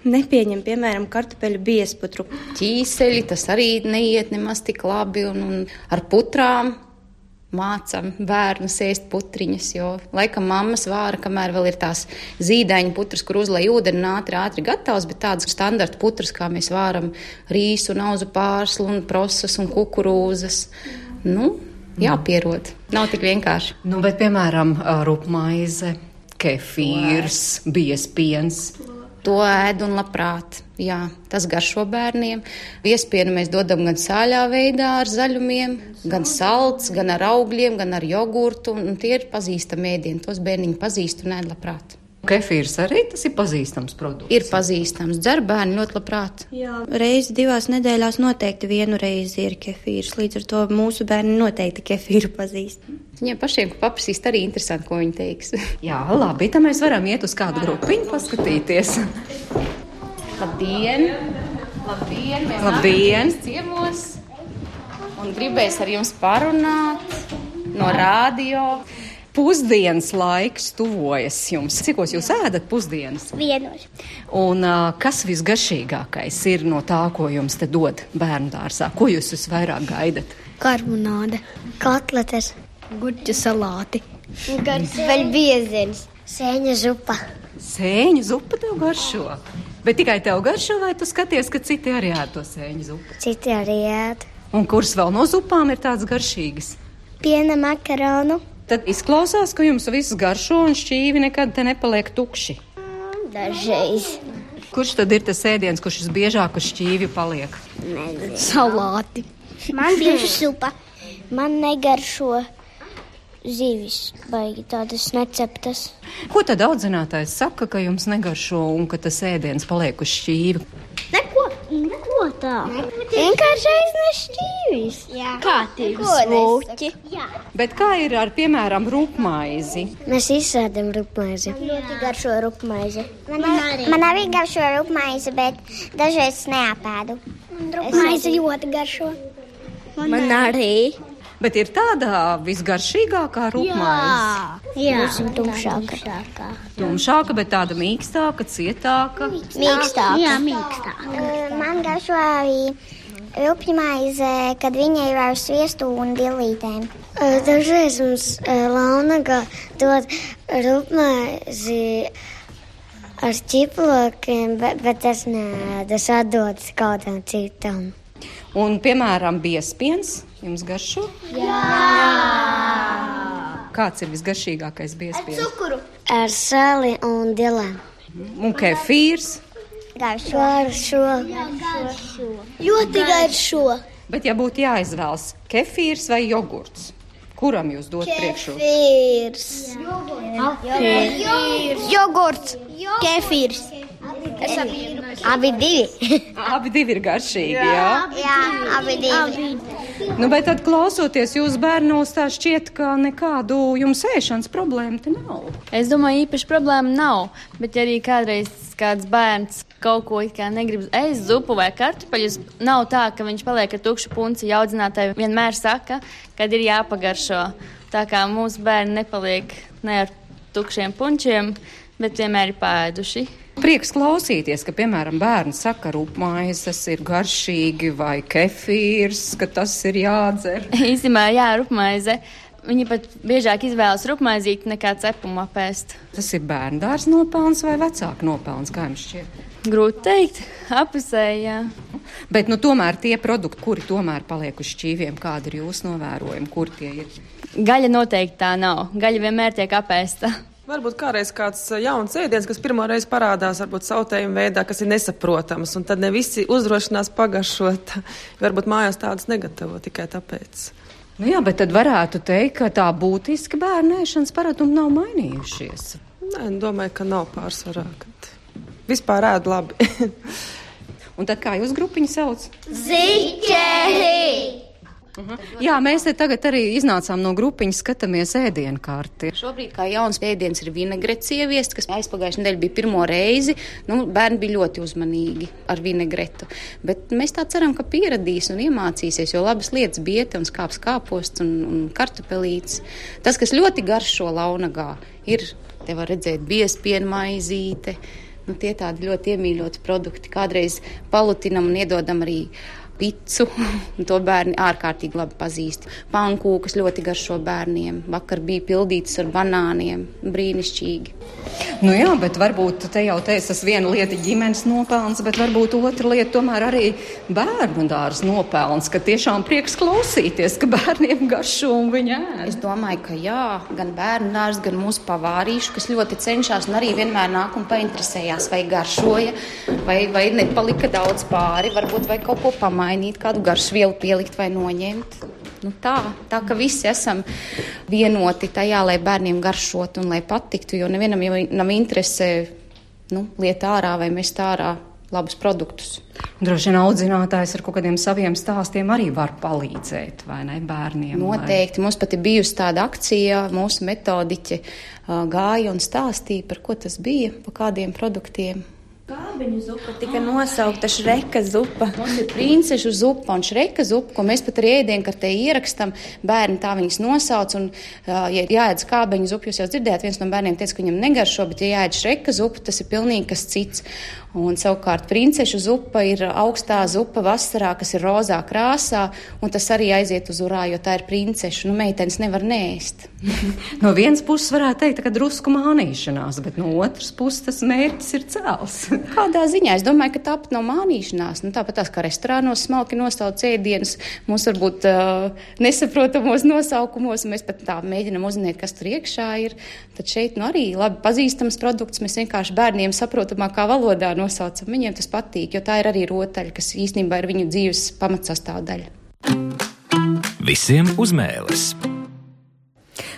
nepieņem, piemēram, kartupeļu biezputru. Ķīseļi, tas arī neiet nemaz tik labi, un ar putrām mācam bērnus ēst putriņas, jo laikam mammas vāra, kamēr vēl ir tās zīdaiņu putras, kur uzlej ūdeni ātri gatavs, bet tādas standarta putras, kā mēs vāram rīsu, auzu pārslu un prosas un kukurūzas. Jāpierod. Nav tik vienkārši. Bet, piemēram, rupmaize, kefīrs, biezpiens. To ēd un labprāt. Jā, tas garšo bērniem. Biezpienu mēs dodam gan sāļā veidā ar zaļumiem, gan salds, gan ar augļiem, gan ar jogurtu. Un tie ir pazīstami ēdieni. Tos bērniņi pazīst un ēd labprāt. Kefīrs arī tas ir pazīstams produkts? Ir pazīstams. Dzer bērni ļoti labprāt. Jā, reizi 2 nedēļās noteikti 1 reizi ir kefīrs. Līdz ar to mūsu bērni noteikti kefīru pazīst. Viņiem pašiem, ko paprasīs, arī interesanti, ko viņi teiks. Jā, labi, tad mēs varam iet uz kādu grupiņu paskatīties. Labdien! Labdien! Mēs Labdien! Ciemos un gribēs ar jums parunāt no radio. Pusdienas laiks tuvojas jums. Cikos jūs ēdat pusdienas? 1. Un kas visgaršīgākais ir no tā, ko jums te dod bērnu dārzā? Ko jūs visvairāk gaidat? Karbonāde, kotletes, gurķu salāti, vēl biezens, sēņa zupa. Sēņu zupa tev garšo? Bet tikai tev garšo, vai tu skaties, ka citi arī ēd to sēņu zupu? Citi arī ēd. Un kuras vēl no zupām ir tādas garšīgas? Piena makaronu. Tad izklausās, ka jums viss garšo un šķīvi nekad te nepaliek tukši. Dažreiz. Kurš tad ir tas ēdiens, kurš visbiežāk uz šķīvi paliek? Salāti. Man bieži supa. Man negaršo zivis, baigi tādas neceptas. Ko tad audzinātājs saka, ka jums negaršo un ka tas ēdiens paliek uz šķīvi? Neko tā. Vienkārši aiznes šķīvis. Jā. Kā tie smūķi. Bet kā ir ar, piemēram, rupmaizi? Mēs izsēdam rupmaizi. Ļoti garšo rupmaizi. Man arī garšo rupmaizi, bet dažreiz neapēdu. Rupmaizi ļoti garšo. Man arī. Bet ir tāda visgaršīgākā rupmaize? Jā, tumšāka. Tumšāka, bet tāda mīkstāka, cietāka? Mīkstāka. Jā, mīkstāka. Man garšo arī rupmaize, kad viņa ir ar sviestu un billītēm. Dažreiz mums Launaga dod rupmaizi ar ķiplokiem, bet tas atdodas kādam citam. Un, piemēram, biezpiens jums garšo? Jā! Kāds ir visgaršīgākais biezpiens? Ar cukuru. Ar sāli un dilēm. Un kefīrs? Garšo. Ļoti garšo. Bet ja būtu jāizvēlas kefīrs vai jogurts, kuram jūs dot priekšroku? Jogurts. Kefīrs. Abi divi. Abi divi ir garšīgi, jā? Jā, abi divi. Nu, bet tad klausoties jūs bērnos, tā šķiet, ka nekādu jums ēšanas problēmu te nav. Es domāju, īpaši problēma nav, bet ja arī kādreiz kāds bērns kaut ko it kā negrib ēst zupu vai kartupeļus, nav tā, ka viņš paliek ar tukšu punci. Audzinātāji vienmēr saka, kad ir jāpagaršo. Tā kā mūsu bērni nepaliek ne ar tukšiem punčiem, bet vienmēr ir pāēduši. Prieks klausīties, ka, piemēram, bērni saka, rupmaizes ir garšīgi vai kefīrs, ka tas ir jādzer. Īstenībā, jā, rupmaize. Viņi pat biežāk izvēlas rupmaizīti nekā cepumu apēst. Tas ir bērndārs nopelns vai vecāku nopelns, kā jums šķiet? Grūti teikt, apusēji, jā. Bet, tomēr tie produkti, kuri tomēr paliek uz šķīviem, kādi ir jūsu novērojumi, kur tie ir? Gaļa noteikti tā nav. Gaļa vienmēr tiek apēsta. Varbūt kādreiz kāds jauns ēdiens, kas pirmo reizi parādās, varbūt sautējuma veidā, kas ir nesaprotams, un tad ne visi uzdrošinās pagaršot. Varbūt mājās tādas negatavo tikai tāpēc. Nu jā, bet tad varētu teikt, ka tā būtiski bērnu ēšanas paradumi nav mainījušies. Nē, domāju, ka nav pārsvarā. Vispār ēd labi. Un tad kā jūs grupiņu sauc? Ziķeri! Jā, mēs te tagad arī iznācām no grupiņas, skatāmies ēdienu kārti. Šobrīd kā jauns ēdiens ir vinegrets ieviest, kas aizpagājušajā nedēļā bija pirmo reizi. Bērni bija ļoti uzmanīgi ar vinegretu. Bet mēs tā ceram, ka pieradīs un iemācīsies, jo labas lietas biete un skāps kāposts un kartupelītes. Tas, kas ļoti garšo launagā, ir, te var redzēt, biezpiena maizīte. Tie tādi ļoti iemīļoti produkti. Kādreiz palutinam un iedodam arī picu, un to bērni ārkārtīgi labi pazīst. Pankūkas ļoti garšo bērniem. Vakar bija pildītas ar banāniem. Brīnišķīgi. Nu jā, bet varbūt te jau teica, tas viena lieta ģimenes nopelns, bet varbūt otra lieta tomēr arī bērnu dārza nopelns, ka tiešām prieks klausīties, ka bērniem garšo un viņi ēd. Es domāju, ka jā, gan bērnu dārza, gan mūsu pavārīšu, kas ļoti cenšas un arī vienmēr nāk un painteresējās, vai garšoja, vai nepalika daudz pāri, varbūt vai kaut ko pamainīt, kādu garšvielu pielikt vai noņemt. Tā, ka visi esam vienoti tajā, lai bērniem garšot un lai patiktu, jo nevienam jau nav interese liet ārā vai mest ārā labus produktus. Droši vien audzinātājs ar kaut kādiem saviem stāstiem arī var palīdzēt, vai ne, bērniem? Noteikti. Mums pat ir bijusi tāda akcija, mūsu metodiķe gāja un stāstīja, par ko tas bija, par kādiem produktiem. Kābeņu zupa tika nosaukta šreka zupa. Mums ir princešu zupa un šreka zupa, ko mēs pat arī ēdienkartē ierakstam. Bērni tā viņas nosauc, un ja jāēd kābeņu zupu, jūs jau dzirdējāt, viens no bērniem teica, ka viņam negaršo, bet ja jāēd šreka zupa, tas ir pilnīgi kas cits. Un savukārt princešu zupa ir augstā zupa vasarā, kas ir rozā krāsā, un tas arī aiziet uz urā, jo tā ir princešu. Meitenes nevar neēst. No vienas puses varētu teikt, ka drusku mānīšanās, bet no otras puses tas mērķis ir cēls. Kādā ziņā? Es domāju, ka tāpat nav mānīšanās. Tāpat tās, kā restorānos smalki nosauc ēdienus, mums varbūt nesaprotamos nosaukumos, un mēs pat tā mēģinam uzzināt, kas tur iekšā ir. Tad šeit arī labi pazīstams produkts, mēs vienkārši bērniem saprotamākā valodā nosaucam. Viņiem tas patīk, jo tā ir arī rotaļa, kas īstenībā ir viņu dzīves pamatsastāvdaļa. Visiem uz mēles.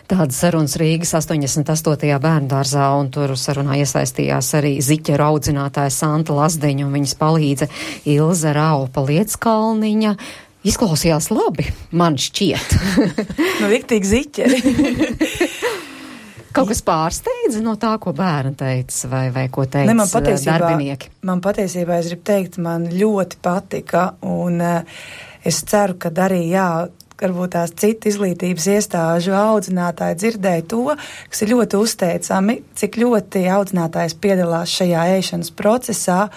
Tādas sarunas Rīgas 88. bērndārzā, un tur sarunā iesaistījās arī ziķeru audzinātāja Santa Lazdeņa un viņas palīdze Ilze Raupa Lieckalniņa. Izklausījās labi, man šķiet. Riktīgi ziķeri. Kaut kas pārsteidza no tā, ko bērni teica, vai ko teica darbinieki? Man patiesībā, es gribu teikt, man ļoti patika, un es ceru, ka arī, varbūt tās citu izglītības iestāžu audzinātāji dzirdēja to, kas ir ļoti uzteicami, cik ļoti audzinātājs piedalās šajā ēšanas procesā,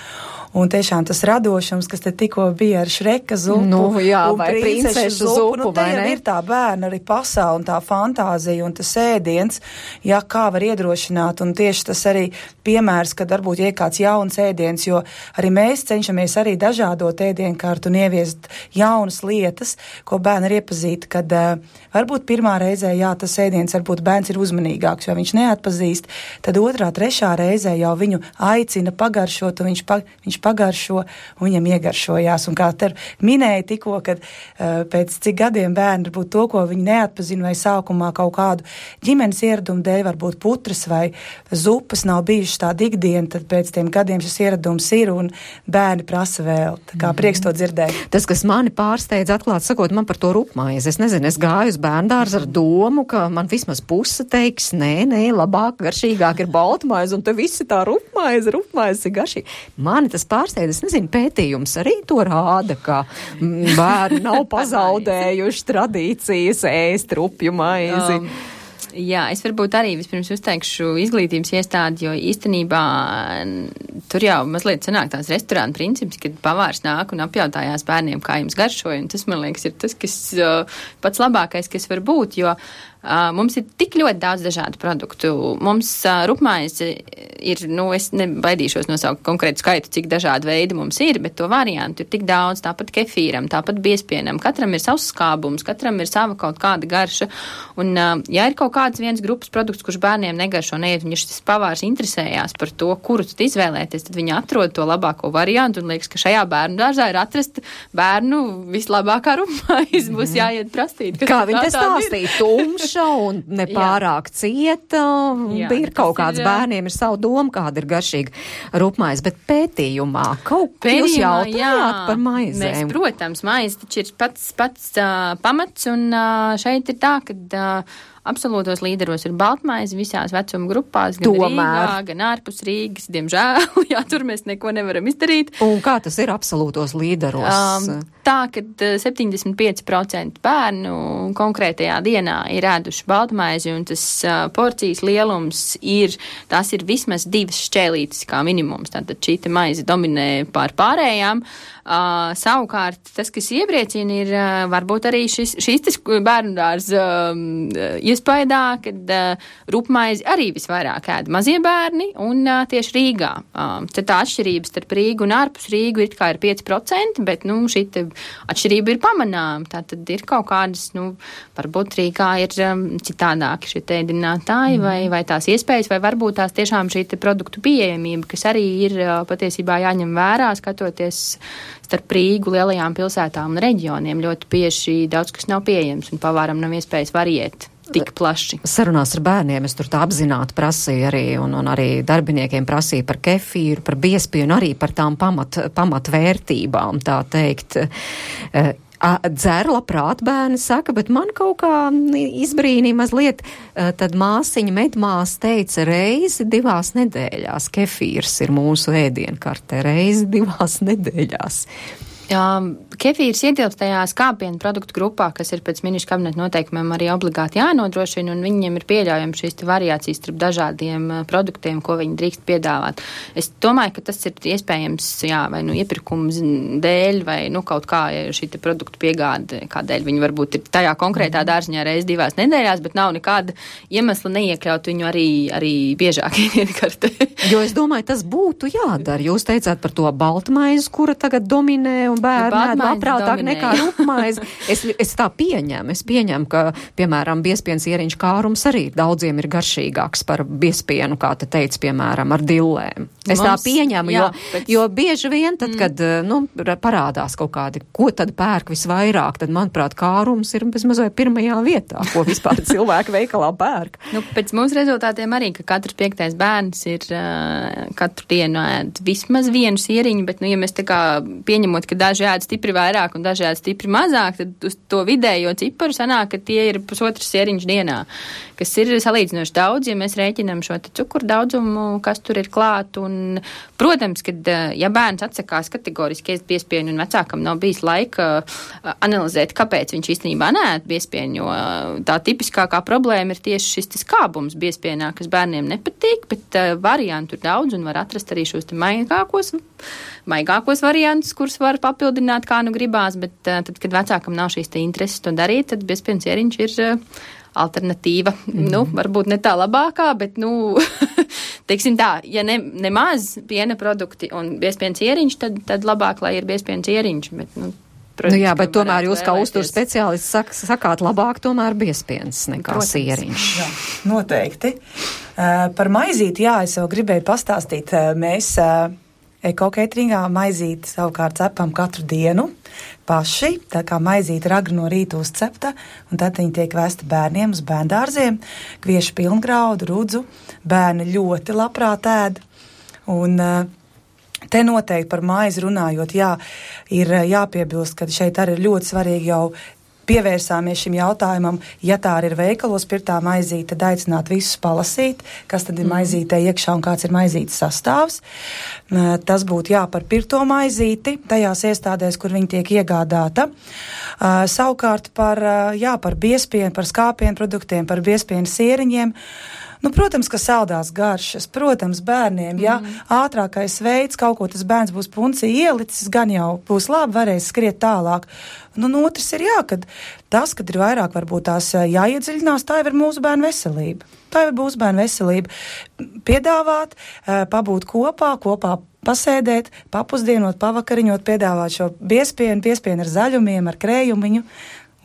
Un tiešām tas radošums, kas te tikko bija ar Šreka zupu, vai princešu zupu, te jau ir tā bērna arī pasaule un tā fantāzija un tas ēdiens, kā var iedrošināt, un tieši tas arī piemērs, kad varbūt ir kāds jauns ēdiens, jo arī mēs cenšamies arī dažādot ēdienkārtu un ieviest jaunas lietas, ko bērni ir iepazīti, kad varbūt pirmā reizē, tas ēdiens varbūt bērns ir uzmanīgāks, jo viņš neatpazīst, tad otrā, trešā reizē jau viņu aicina pagaršot, un viņš pagaršo, un viņam iegaršojās. Un kā te minēja tikko, kad pēc cik gadiem bērni varbūt to, ko viņi neatpazina, vai sākumā kaut kādu ģimenes ieradumu dēļ, varbūt putras vai zupas nav bijušas tāda ikdiena, tad pēc tiem gadiem šis ieradums ir, un bērni prasa vēl. Tā kā prieks to dzirdēt. Tas, kas mani pārsteidz, atklāt sakot, man par to rupmaizi. Es nezinu, es gāju uz bērndārzu ar domu, ka man vismaz puse teiks, nē, labāk, garšīgāk ir baltmaize, un te visi tā rupmaize ir garšīga. Mani tas pārsteidz, es nezinu, pētījums arī to rāda, ka bērni nav pazaudējuši tradīcijas ēst rupju maizi. Jā, es varbūt arī vispirms uzteikšu izglītības iestādi, jo īstenībā tur jau mazliet sanāk tās restorāna princips, kad pavārs nāk un apjautājās bērniem, kā jums garšoja, un tas, man liekas, ir tas, kas pats labākais, kas var būt, jo mums ir tik ļoti daudz dažādu produktu. Mums rupmaize ir, es nebaidīšos nosaukt konkrētu skaitu, cik dažādi veidi mums ir, bet to variantu ir tik daudz, tāpat kefīram, tāpat biespienam. Katram ir savs skābums, katram ir sava kaut kāda garša. Un, ja ir kaut kāds viens grupas produkts, kurš bērniem negaršo, neiet, un ja šis pavārs interesējās par to, kuru tad izvēlēties, tad viņi atrod to labāko variantu, un liekas, ka šajā bērnu dārzā ir atrasta bērnu vislabākā rupmaize, būs jāiet prastīt. Kā viņi te stāstīja, tumša un nepārāk cieta, ir kaut kāds bērniem ir savu domu, kāda ir garšīga rupmaize, bet pētījumā jūs jautājāt par maizēm. Mēs, protams, maize taču ir pats pamats, un šeit ir tā, ka absolūtos līderos ir baltmaize visās vecuma grupās, gan Rīgā, gan ārpus Rīgas, diemžēl, tur mēs neko nevaram izdarīt. Un kā tas ir absolūtos līderos? Tā, ka 75% bērnu konkrētajā dienā ir ēduši baltmaizi, un tas porcijas lielums tās ir vismaz 2 šķēlītes kā minimums, tātad šī maize dominē pār pārējām. Savukārt, tas, kas iepriecina, ir varbūt arī šīs bērnu dārza iespējā, kad rupmaizi arī visvairāk ēd mazie bērni un tieši Rīgā. Tad tā atšķirības starp Rīgu un ārpus Rīgu ir 5%, bet, šī atšķirība ir pamanāma. Tā tad ir kaut kādas, varbūt Rīgā ir citādāki šie ēdinātāji vai tās iespējas, vai varbūt tās tiešām šī produktu pieejamība, kas arī ir patiesībā jāņem vērā, skatoties starp Rīgu, lielajām pilsētām un reģioniem. Ļoti bieži daudz kas nav pieejams un pavāram nav iespējas variēt tik plaši. Sarunās ar bērniem es tur tā apzināti prasīju arī, un arī darbiniekiem prasīju par kefīru, par biespienu, arī par tām pamatvērtībām, tā teikt. Dzer labprāt, bērni saka, bet man kaut kā izbrīnīja mazliet, tad māsiņa medmās teica reizi 2 nedēļās. Kefīrs ir mūsu ēdienkartē, reizi 2 nedēļās. Kefīrs ietilpst tajā skāpienu produktu grupā, kas ir pēc ministru kabineta noteikumiem arī obligāti jānodrošina, un viņiem ir pieļaujami šīs variācijas starp dažādiem produktiem, ko viņi drīkst piedāvāt. Es domāju, ka tas ir iespējams, vai iepirkums dēļ, vai kaut kā šī produktu piegāde, kādēļ viņi varbūt ir tajā konkrētā dārziņā reiz 2 nedēļās, bet nav nekāda iemesla neiekļaut viņu arī biežāk iekartē. Jo es domāju, tas būtu jādara. Jūs teicāt par to baltmaizi, kura tagad dominē, un bērni ēd labprātāk nekā rupmaizi. Es tā pieņemu. Es pieņemu, ka, piemēram, biespiens ieriņš kārums arī daudziem ir garšīgāks par biespienu, kā te teica, piemēram, ar dillēm. Es tā pieņemu, jo bieži vien tad, kad parādās kaut kādi, ko tad pērk visvairāk, tad, manuprāt, kārums ir bezmazliet pirmajā vietā, ko vispār cilvēki veikalā pērk. Pēc mūsu rezultātiem arī, ka katrs 5. bērns ir katru dienu ēd vismaz 1 ieriņu, bet, ja mēs tā kā pieņemot, ka daži ēd stipri vairāk un daži ēd stipri mazāk, tad uz to vidējo ciparu sanāk, ka tie ir pusotrs sieriņš dienā, kas ir salīdzinoši daudz, ja mēs rēķinām šo cukuru daudzumu, kas tur ir klāt. Un, protams, kad ja bērns atsakās kategoriski ēst biezpienu un vecākam nav bijis laika analizēt, kāpēc viņš īstenībā neēd biezpienu, jo tā tipiskākā problēma ir tieši šis skābums biezpienā, kas bērniem nepatīk, bet variantu ir daudz un var atrast arī šos maigākos variantus, kurus var papildināt, kā nu gribās, bet tad, kad vecākam nav šīs intereses to darīt, tad biezpienu sieriņš ir alternatīva. Varbūt ne tā labākā, bet, teiksim tā, ja nemaz piena produkti un biezpienu sieriņš, tad labāk, lai ir biezpienu sieriņš, bet, protams, bet tomēr jūs kā uzturs speciālists sakāt labāk tomēr biezpiens nekā sieriņš. Jā, noteikti. Par maizīti, es jau gribēju pastāstīt. Mēs Eko-cateringā maizīti savukārt cepam katru dienu paši, tā kā maizīte ir agri no rīta uzcepta, un tad viņi tiek vēsti bērniem uz bērndārziem, kviešu pilngraudu, rudzu, bērni ļoti labprāt ēd, un te noteikti par maizi runājot, ir jāpiebilst, ka šeit arī ir ļoti svarīgi jau pievērsāmies šim jautājumam, ja tā ir veikalos pirtā maizīte, tad aicināt visus palasīt, kas tad ir maizītē iekšā un kāds ir maizītes sastāvs. Tas būtu par pirto maizīti, tajās iestādēs, kur viņi tiek iegādāta. Savukārt par biezpienu, par skāpienu produktiem, par biezpienu sieriņiem. Protams, ka saldās garšas, protams, bērniem, ātrākais veids, kaut ko tas bērns būs puncī ielicis, gan jau būs labi, varēs skriet tālāk. Otrs ir kad ir vairāk varbūt tās jāiedziļinās, tā jau ir mūsu bērnu veselība. Tā jau ir mūsu bērnu veselība. Piedāvāt, pabūt kopā pasēdēt, papusdienot, pavakariņot, piedāvāt šo biezpienu ar zaļumiem, ar krējumiņu.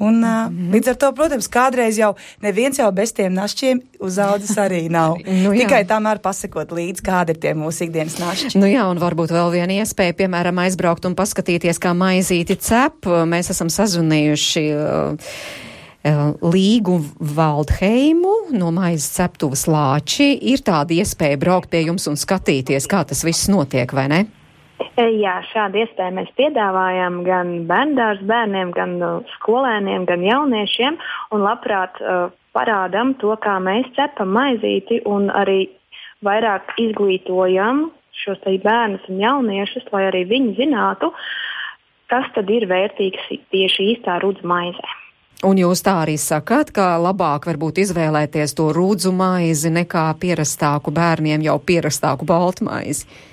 Un līdz ar to, protams, kādreiz jau neviens jau bez tiem našķiem uzaudzis arī nav. Tikai tamēr pasakot līdz, kādi ir tie mūsu ikdienas našķi. Un varbūt vēl viena iespēja, piemēram, aizbraukt un paskatīties, kā maizīti cep. Mēs esam sazvanījuši Līgu Valdheimu no maizes ceptuves Lāči. Ir tāda iespēja braukt pie jums un skatīties, kā tas viss notiek, vai ne? Jā, šādu iespēju mēs piedāvājam gan bērndārs bērniem, gan skolēniem, gan jauniešiem, un labprāt parādam to, kā mēs cepam maizīti, un arī vairāk izglītojam šos bērnus un jauniešus, lai arī viņi zinātu, kas tad ir vērtīgs tieši īstā rudzu maizē. Un jūs tā arī sakāt, ka labāk varbūt izvēlēties to rudzu maizi nekā pierastāku bērniem jau pierastāku baltmaizi?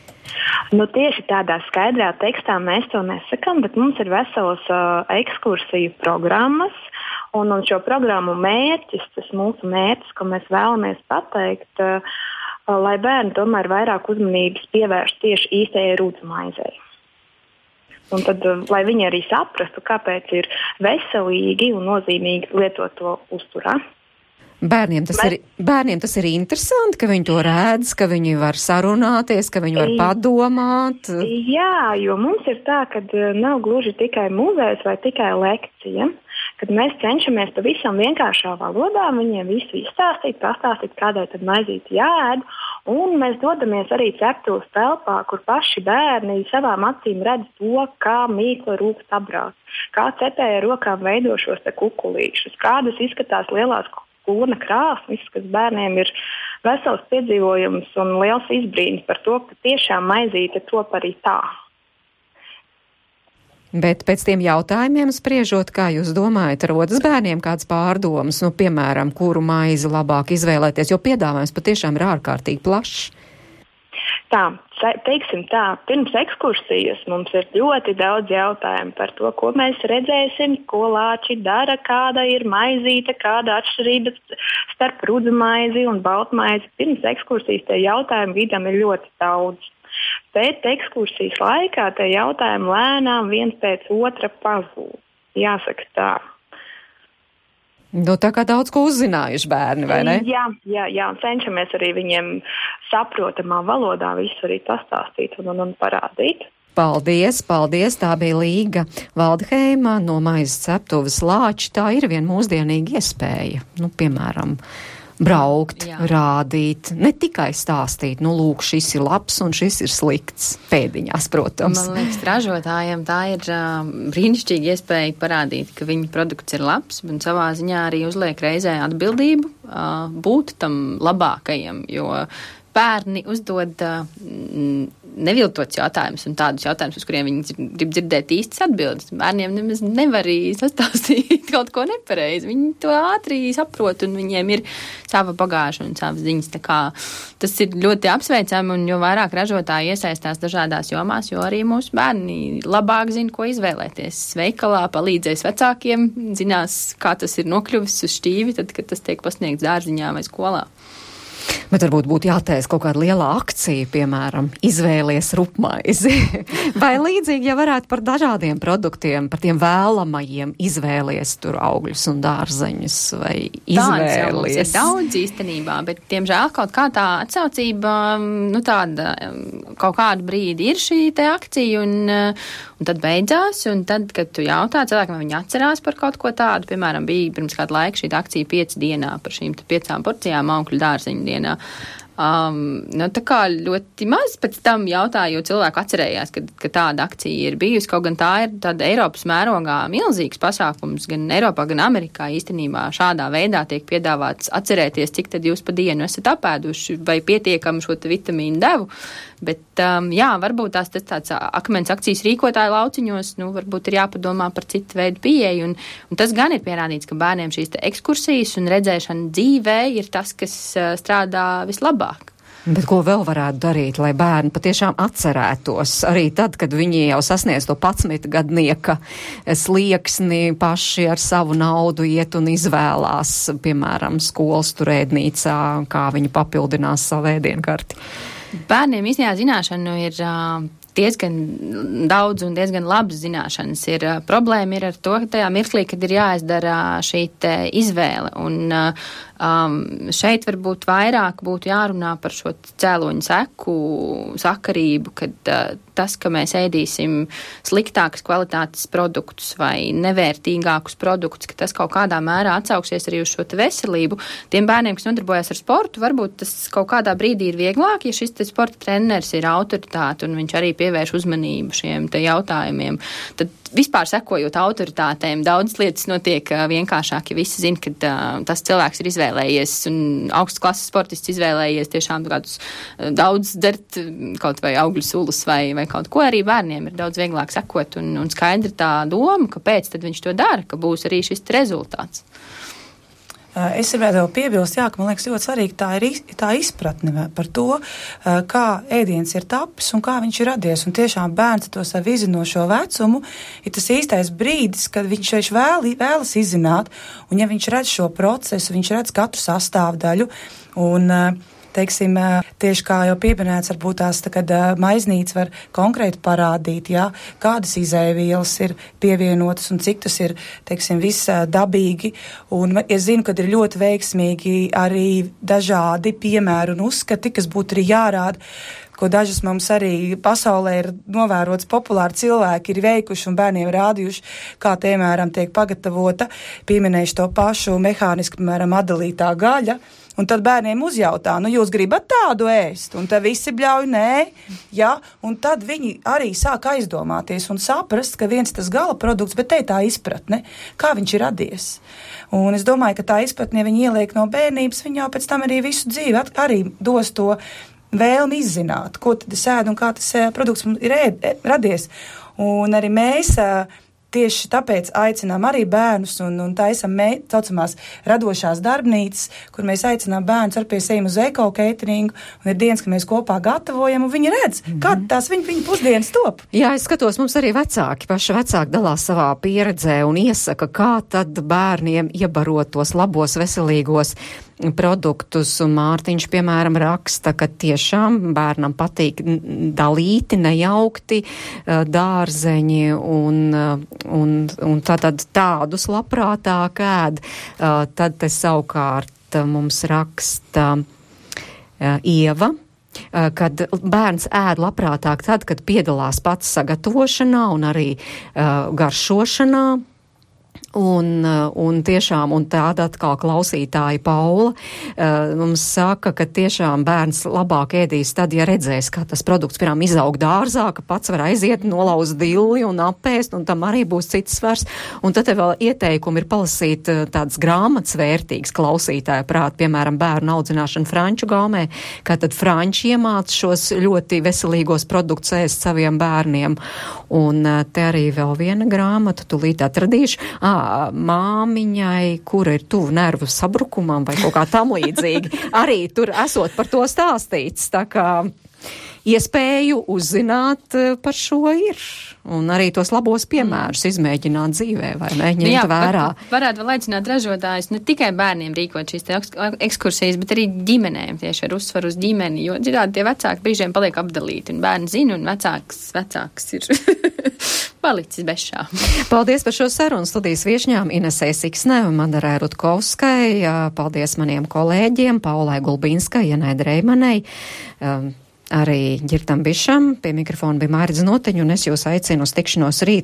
Tieši tādā skaidrā tekstā mēs to nesakam, bet mums ir veselas ekskursiju programmas, un šo programmu mērķis, tas mūsu mērķis, ko mēs vēlamies pateikt, lai bērni tomēr vairāk uzmanības pievērst tieši īstajai rudzu maizei. Un tad, lai viņi arī saprastu, kāpēc ir veselīgi un nozīmīgi lietot to uzturā. Bērniem tas ir interesanti, ka viņi to redz, ka viņi var sarunāties, ka viņi var padomāt. Jā, jo mums ir tā, ka nav gluži tikai muzejs vai tikai lekcija, kad mēs cenšamies pavisam vienkāršā valodā viņiem visu izstāstīt, pastāstīt, kādai tad maizīti jāēd, un mēs dodamies arī ceptuves telpā, kur paši bērni savām acīm redz to, kā mīkla rūkst apbrāst, kā cepēja rokām veido šos kukulīšus, kādas izskatās lielās kūna krāsnis, kas bērniem ir vesels piedzīvojums un liels izbrīns par to, ka tiešām maizīte top arī tā. Bet pēc tiem jautājumiem spriežot, kā jūs domājat, rodas bērniem kāds pārdomas, piemēram, kuru maizi labāk izvēlēties, jo piedāvājums patiešām ir ārkārtīgi plašs. Tā, teiksim tā, pirms ekskursijas mums ir ļoti daudz jautājumu par to, ko mēs redzēsim, ko Lāči dara, kāda ir maizīte, kāda atšķirība starp rudzu maizi un baltmaizi. Pirms ekskursijas tie jautājumu vidam ir ļoti daudz. Pēc ekskursijas laikā tie jautājumi lēnām viens pēc otra pazūd. Jāsaka tā. Tā kā daudz ko uzzinājuši bērni, vai ne? Jā, cenšamies arī viņiem saprotamā valodā visu arī pastāstīt un parādīt. Paldies! Tā bija Līga Valdheima no maizes ceptuves Lāči. Tā ir viena mūsdienīga iespēja. Piemēram, braukt, rādīt, ne tikai stāstīt, nu lūk, šis ir labs un šis ir slikts pēdiņās, protams. Man liekas, ražotājiem tā ir brīnišķīga iespēja parādīt, ka viņa produkts ir labs, un savā ziņā arī uzliek reizē atbildību būt tam labākajam, jo bērni uzdod neviltots jautājumus un tādus jautājumus, uz kuriem viņi grib dzirdēt īstas atbildes. Bērniem nemaz nevar arī sastāstīt kaut ko nepareizi. Viņi to ātri saprot un viņiem ir sava bagāža un savas ziņas. Tā kā tas ir ļoti apsveicami un jo vairāk ražotāji iesaistās dažādās jomās, jo arī mūsu bērni labāk zina, ko izvēlēties. Veikalā palīdzēs vecākiem, zinās, kā tas ir nokļuvis uz šķīvi, tad, kad tas tiek pasniegts dārziņā vai skolā. Bet varbūt būtu jātaisa kaut kāda liela akcija, piemēram, izvēlies rupmaizi. Vai līdzīgi, ja varētu par dažādiem produktiem, par tiem vēlamajiem izvēlies tur augļus un dārzeņus, vai izvēlies? Ir daudz īstenībā, bet, diemžēl, kaut kā tā atsaucība, nu tāda, kaut kādu brīdi ir šī te akcija, un tad beidzās, un tad, kad tu jautā cilvēkam, vai viņi atcerās par kaut ko tādu, piemēram, bija pirms kādu laiku šī akcija 5 dienā par šīm 5 porcijām augļu dārzeņu dienā. Nu, tā kā ļoti maz pēc tam jautāju, jo cilvēku atcerējās, ka tāda akcija ir bijusi, kaut gan tā ir tāda Eiropas mērogā milzīgs pasākums, gan Eiropā, gan Amerikā īstenībā šādā veidā tiek piedāvāts atcerēties, cik tad jūs pa dienu esat apēduši vai pietiekami šo vitamīnu devu, bet jā, varbūt tas tāds akmens akcijas rīkotāju lauciņos, nu, varbūt ir jāpadomā par citu veidu pieeju, un tas gan ir pierādīts, ka bērniem šīs ekskursijas un redzēšana dzīvē ir tas, kas strādā vislabāk. Bet ko vēl varētu darīt, lai bērni patiešām atcerētos arī tad, kad viņi jau sasniedz to 11 gadnieka slieksni, paši ar savu naudu iet un izvēlās, piemēram, skolas turēdnīcā, kā viņi papildinās savu ēdienkarti? Bērniem īstenībā zināšanu ir diezgan daudz un diezgan labas zināšanas. Problēma ir ar to, ka tajā mirklī, kad ir jāizdara šī izvēle. Un šeit varbūt vairāk būtu jārunā par šo cēloņu seku sakarību, kad tas, ka mēs ēdīsim sliktākas kvalitātes produktus vai nevērtīgākus produktus, ka tas kaut kādā mērā atsauksies arī uz šo veselību. Tiem bērniem, kas nodarbojas ar sportu, varbūt tas kaut kādā brīdī ir vieglāk, ja šis sporta treneris ir autoritāte un viņš arī pievērš uzmanību šiem te jautājumiem. Tad vispār sekojot autoritātēm, daudz lietas notiek vienkāršāk, ja visi zina, ka tas cilvēks ir izvēlējies un augstas klases sportists izvēlējies tiešām kādus daudz dzert kaut vai augļu sulus vai kaut ko. Arī bērniem ir daudz vieglāk sekot un skaidra tā doma, kāpēc tad viņš to dara, ka būs arī šis rezultāts. Es gribētu piebilst, ka man liekas ļoti svarīgi tā izpratne par to, kā ēdiens ir tapis un kā viņš ir radies. Un tiešām bērns to savu izzinošo vecumu ir tas īstais brīdis, kad viņš vēlas izzināt, un ja viņš redz šo procesu, viņš redz katru sastāvdaļu un teiksim, tieši kā jau pieminēts, varbūt tās, kad maiznīca var konkrēti parādīt, kādas izēvielas ir pievienotas un cik tas ir, teiksim, viss dabīgi. Un es zinu, ka ir ļoti veiksmīgi arī dažādi piemēri un uzskati, kas būtu arī jārāda, ko dažas mums arī pasaulē ir novērots populāri cilvēki ir veikuši un bērniem rādījuši, kā, piemēram, tiek pagatavota, pieminējuši to pašu mehāniski, piemēram, atdalītā gaļa. Un tad bērniem uzjautā, jūs gribat tādu ēst? Un tad visi bļauj, nē, un tad viņi arī sāk aizdomāties un saprast, ka viens tas gala produkts, bet te tā izpratne, kā viņš ir radies. Un es domāju, ka tā izpratne, ja viņi ieliek no bērnības, viņi jau pēc tam arī visu dzīvi arī dos to vēlmi izzināt, ko tad es ēdu un kā tas produkts ir radies. Un arī mēs tieši tāpēc aicinām arī bērnus un taisam saucamās radošās darbnīcas, kur mēs aicinām bērnus ar pie sevi uz eko-cateringu, un ir dienas, ka mēs kopā gatavojam, un viņi redz, kā tās viņa pusdienas top. Jā, es skatos, mums arī paši vecāki dalās savā pieredzē un iesaka, kā tad bērniem iebarot tos labos, veselīgos produktus, un Mārtiņš, piemēram, raksta, ka tiešām bērnam patīk dalīti, nejaukti dārzeņi, un tātad tādus labprātāk ēd. Tad te savukārt mums raksta Ieva, kad bērns ēd labprātāk tad, kad piedalās pats sagatavošanā un arī garšošanā. Un tiešām, un tāda atkal klausītāja Paula mums saka, ka tiešām bērns labāk ēdīs tad, ja redzēs, kā tas produkts, piemēram, izaug dārzā, ka pats var aiziet, nolauzt dilli un apēst, un tam arī būs cits svars. Un tad vēl ieteikumi ir palasīt tādas grāmatas vērtīgas klausītāja prāt, piemēram, bērnu audzināšana franču gaumē, kā tad franči iemāc šos ļoti veselīgos produktus ēst saviem bērniem. Un te arī vēl viena grāmata, tūlīt atradīšu. Māmiņai, kura ir tuvu nervu sabrukumam vai kaut kā tam līdzīgi. Arī tur esot par to stāstīts, tā kā iespēju uzzināt par šo ir. Un arī tos labos piemērus izmēģināt dzīvē, vai ne, ņemt vērā. Varētu vēl aicināt ražotājus ne tikai bērniem rīkot šīs ekskursijas, bet arī ģimenēm, tieši ar uzsvaru uz ģimeni, jo citādi tie vecāki brīžiem paliek apdalīti, un bērni zina, un vecāks ir palicis bez šā. Paldies par šo sarunu studijas viešņām Inesei Siksnē un Madarai Rutkovskai. Paldies maniem kolēģiem Paulai Gulbīnskai, Janai Dreimanei. Arī Ģirtam Bišam, pie mikrofona bija Mārits Noteņu, un es jūs aicinu uz tikšanos rīt